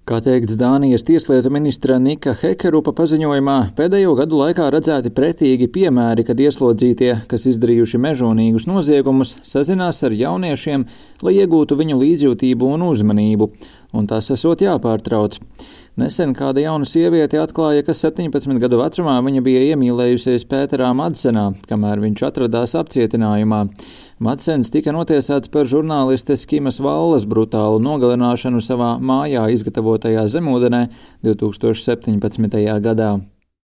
Kā teikts Dānijas tieslietu ministra Nika Hekerupa paziņojumā, pēdējo gadu laikā redzēti pretīgi piemēri, kad ieslodzītie, kas izdarījuši mežonīgus noziegumus, sazinās ar jauniešiem, lai iegūtu viņu līdzjūtību un uzmanību, un tas esot jāpārtrauc. Nesen kāda jauna sieviete atklāja, ka 17 gadu vecumā viņa bija iemīlējusies Pēterā Madsenā, kamēr viņš atradās apcietinājumā. Madsens tika notiesāts par žurnālistes Kimas Vallas brutālu nogalināšanu savā mājā izgatavotajā zemūdenē 2017. gadā.